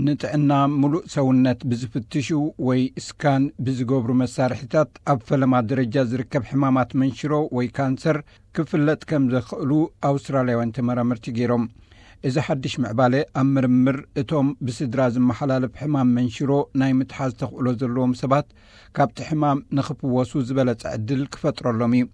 ንጥዕና ምሉእ ሰውነት ብዝፍትሹ ወይ ስካን ብዝገብሩ መሳርሒታት ኣብ ፈለማ ደረጃ ዝርከብ ሕማማት መንሽሮ ወይ ካንሰር ክፍለጥ ከም ዘኽእሉ ኣውስትራልያውያን ተመራመርቲ ገይሮም። እዚ ሓድሽ ምዕባለ ኣብ ምርምር እቶም ብስድራ ዝመሓላለፍ ሕማም መንሽሮ ናይ ምትሓዝ ተኽእሎ ዘለዎም ሰባት ካብቲ ሕማም ንኽፍወሱ ዝበለጸ ዕድል ክፈጥረሎም እዩ።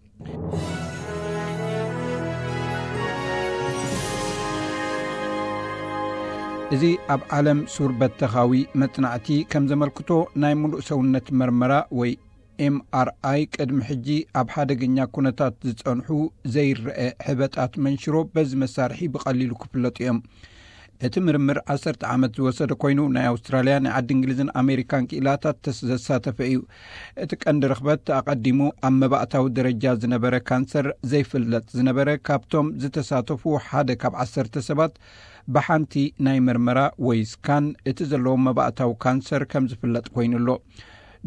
እዚ ኣብ ዓለም ሱር በተኻዊ መጽናዕቲ ከም ዘመልክቶ፣ ናይ ምሉእ ሰውነት መርመራ ወይ ኤምኣርኣይ ቅድሚ ሕጂ ኣብ ሓደገኛ ኩነታት ዝጸንሑ ዘይረአ ሕበጣት መንሽሮ በዚ መሳርሒ ብቐሊሉ ክፍለጡ እዮም። እቲ ምርምር ዓሰርተ ዓመት ዝወሰደ ኮይኑ፣ ናይ ኣውስትራልያ፣ ናይ ዓዲ እንግሊዝን ኣሜሪካን ክኢላታት ተስ-፣ ዘሳተፈ እዩ። እቲ ቀንዲ ርኽበት ኣቐዲሙ ኣብ መባእታዊ ደረጃ ዝነበረ ካንሰር ዘይፍለጥ ዝነበረ ካብቶም ዝተሳተፉ ሓደ ካብ ዓሰርተ ሰባት ብሓንቲ ናይ መርመራ ወይ ስካን እቲ ዘለዎም መባእታዊ ካንሰር ከም ዝፍለጥ ኮይኑ ኣሎ።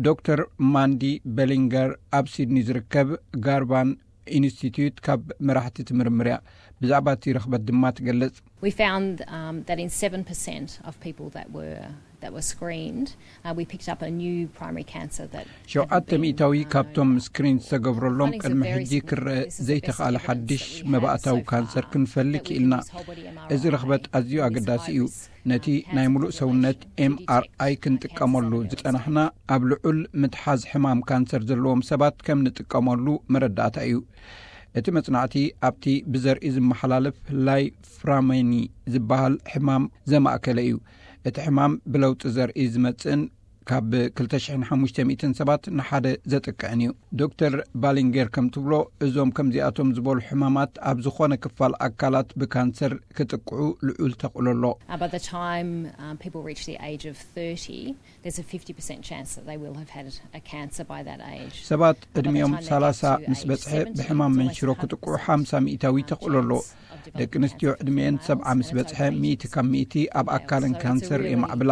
ዶክተር ማንዲ ቤሊንገር ኣብ ሲድኒ ዝርከብ ጋርቫን ኢንስቲትዩት ካብ መራሕቲ እቲ ምርምር እያ። ብዛዕባ እቲ ርኽበት ድማ ትገልጽ። We found, um, that in seven percent of people that were, that were screened, uh, we picked up a new primary cancer that hadn't ሸውዓተ been, ሚእታዊ um, known ካብቶም about ስክሪን before. ዝተገብረሎም Findings are ቅድሚ very ሕጂ significant. ክረአ This is the best ዘይተኻለ evidence ሓድሽ that we have መባእታዊ so far ካንሰር ክንፈልግ for ክኢልና። People with whole body እዚ ርኽበት M R I ኣዝዩ and አገዳሲ እዩ። describes ነቲ ናይ ምሉእ ሰውነት ኤምኣርኣይ ክንጥቀመሉ ዝጸናሕና ኣብ ልዑል ምትሓዝ ሕማም ካንሰር ዘለዎም ሰባት ከም ንጥቀመሉ መረዳእታ እዩ። እቲ መጽናዕቲ ኣብቲ ብዘርኢ ዝመሓላለፍ ላይፍራሜኒ ዝበሃል ሕማም ዘማእከለ እዩ። እቲ ሕማም ብለውጢ ዘርኢ ዝመጽእን ካብ ክልተ ሽሕን ሓሙሽተ ሚእትን ሰባት ንሓደ ዘጥቅዕን እዩ። ዶክተር ባሊንጌር ከም ትብሎ፣ እዞም ከምዚኣቶም ዝበሉ ሕማማት ኣብ ዝኾነ ክፋል ኣካላት ብካንሰር ክጥቅዑ ልዑል ተኽእሎ ኣሎ። Uh, by the time, um, people reach the age of thirty, there's a fifty percent chance that they will have had a cancer by that age. ሰባት ዕድሚኦም ሰላሳ ምስ በጽሐ ብሕማም መንሽሮ ክጥቅዑ ሓምሳ ሚእታዊ ተኽእሎ ኣሎ። ደቂ ኣንስትዮ ዕድሚኤን ሰብዓ ምስ በጽሐ ሚእቲ ካብ ሚእቲ ኣብ ኣካለን ካንሰር የማዕብላ።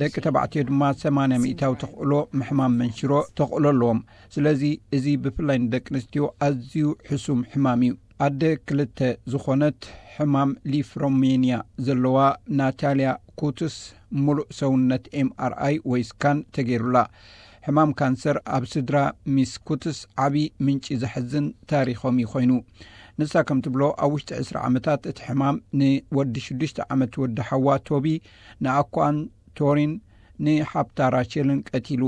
ደቂ ተባዕትዮ ድማ ሰማንያ ሚእታዊ ተኽእሎ ምሕማም መንሽሮ ተኽእሎ ኣለዎም። ስለዚ እዚ ብፍላይ ንደቂ ኣንስትዮ ኣዝዩ ሕሱም ሕማም እዩ። ኣደ ክልተ ዝኾነት ሕማም ሊፍሮሜንያ ዘለዋ ናታልያ ኩትስ፣ ምሉእ ሰውነት ኤምኣርኣይ ወይ ስካን ተገይሩላ። ሕማም ካንሰር ኣብ ስድራ ሚስ ኩትስ ዓቢ ምንጪ ዘሕዝን ታሪኾም እዩ ኮይኑ። ንሳ ከም ትብሎ፣ ኣብ ውሽጢ ዕስራ ዓመታት እቲ ሕማም ንወዲ ሽዱሽተ ዓመት ወዲ ሓዋ ቶቢ፣ ንኣኳን ቶሪን፣ ንሓብታ ራቸልን ቀቲሉ።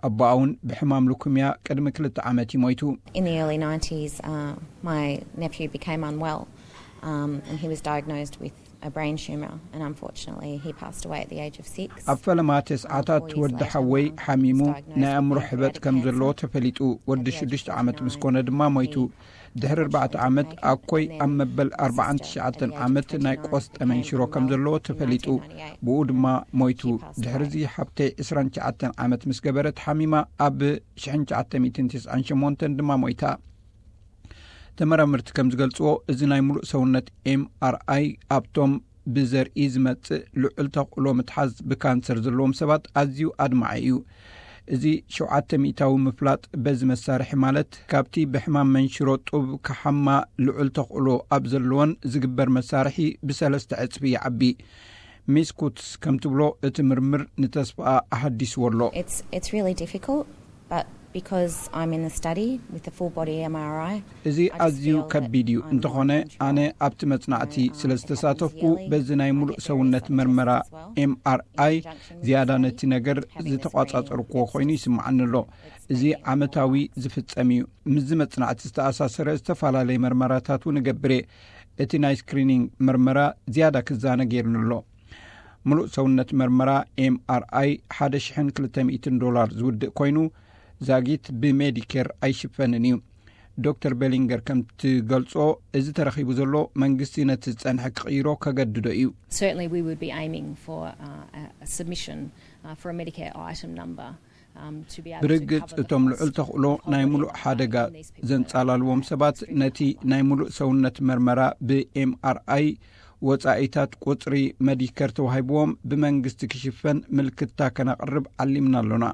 ኣቦኣ እውን ብሕማም ሉኩምያ ቅድሚ ክልተ ዓመት እዩ ሞይቱ። In the early nineties, uh, my nephew became unwell, um, and he was diagnosed with a brain tumour, and unfortunately he passed away at the age of six. ኣብ ፈለማ ተስዓታት ወዲ ሓወይ ሓሚሙ ናይ ኣእምሮ ሕበጥ ከም ዘለዎ ተፈሊጡ። ወዲ ሽዱሽተ ዓመት ምስ ኮነ ድማ ሞይቱ። ድሕሪ ኣርባዕተ ዓመት ኣኮይ ኣብ መበል ኣርባዓን ትሽዓተን ዓመት ናይ ቆስጠ መንሽሮ ከም ዘለዎ ተፈሊጡ። ብኡ ድማ ሞይቱ። ድሕርዚ ሓብተይ ዕስራን ትሽዓተን ዓመት ምስ ገበረት ሓሚማ ኣብ ሽሕን ትሽዓተ ሚእትን ተስዓን ሸሞንተን ድማ ሞይታ። ተመራመርቲ ከም ዝገልጽዎ፣ እዚ ናይ ምሉእ ሰውነት ኤምኣርኣይ ኣብቶም ብዘርኢ ዝመጽእ ልዑል ተኽእሎ ምትሓዝ ብካንሰር ዘለዎም ሰባት ኣዝዩ ኣድማዒ እዩ። እዚ ሸውዓተ ሚእታዊ ምፍላጥ በዚ መሳርሒ፣ ማለት ካብቲ ብሕማም መንሽሮ ጡብ ክሓማ ልዑል ተኽእሎ ኣብ ዘለወን ዝግበር መሳርሒ ብሰለስተ ዕጽፊ ይዓቢ። ሚስ ኩትስ ከም ትብሎ፣ እቲ ምርምር ንተስፋኣ ኣሃዲስዎ ኣሎ። It's, it's really difficult, but because I'm in the study with the full body M R I, እዚ ኣዝዩ ከቢድ እዩ። እንተኾነ፣ ኣነ ኣብቲ መጽናዕቲ ስለ ዝተሳተፍኩ፣ በዚ ናይ ምሉእ ሰውነት መርመራ ኤምኣርኣይ ዝያዳ ነቲ ነገር ዝተቋጻጸርኩዎ ኮይኑ ይስምዓኒ ኣሎ። እዚ ዓመታዊ ዝፍጸም እዩ። ምስዚ መጽናዕቲ ዝተኣሳሰረ ዝተፈላለየ መርመራታት እውን እገብር እየ። እቲ ናይ ስክሪኒንግ መርመራ ዝያዳ ክዛነ ገይሩኒ ኣሎ። ምሉእ ሰውነት መርመራ ኤምኣርኣይ ሓደ ሽሕን ክልተ ሚእትን ዶላር ዝውድእ ኮይኑ፣ ዛጊት ብሜዲኬር ኣይሽፈንን እዩ። ዶክተር ቤሊንገር ከም ትገልጾ፣ እዚ ተረኺቡ ዘሎ መንግስቲ ነቲ ዝጸንሐ ክቕይሮ ከገድዶ እዩ። Certainly we would be aiming for, uh, a, a submission, uh, for a Medicare item number, um, to be able to ብርግጽ cover the እቶም cost ልዑል ተኽእሎ of ናይ whole ምሉእ body ሓደጋ M R I in these people ዘንጻላልዎም that ሰባት ነቲ ናይ ምሉእ ሰውነት መርመራ ብኤምኣርኣይ ወጻኢታት ቁጽሪ መዲከር ተዋሂብዎም ብመንግስቲ ክሽፈን ምልክታ ከነቕርብ ዓሊምና ኣሎና።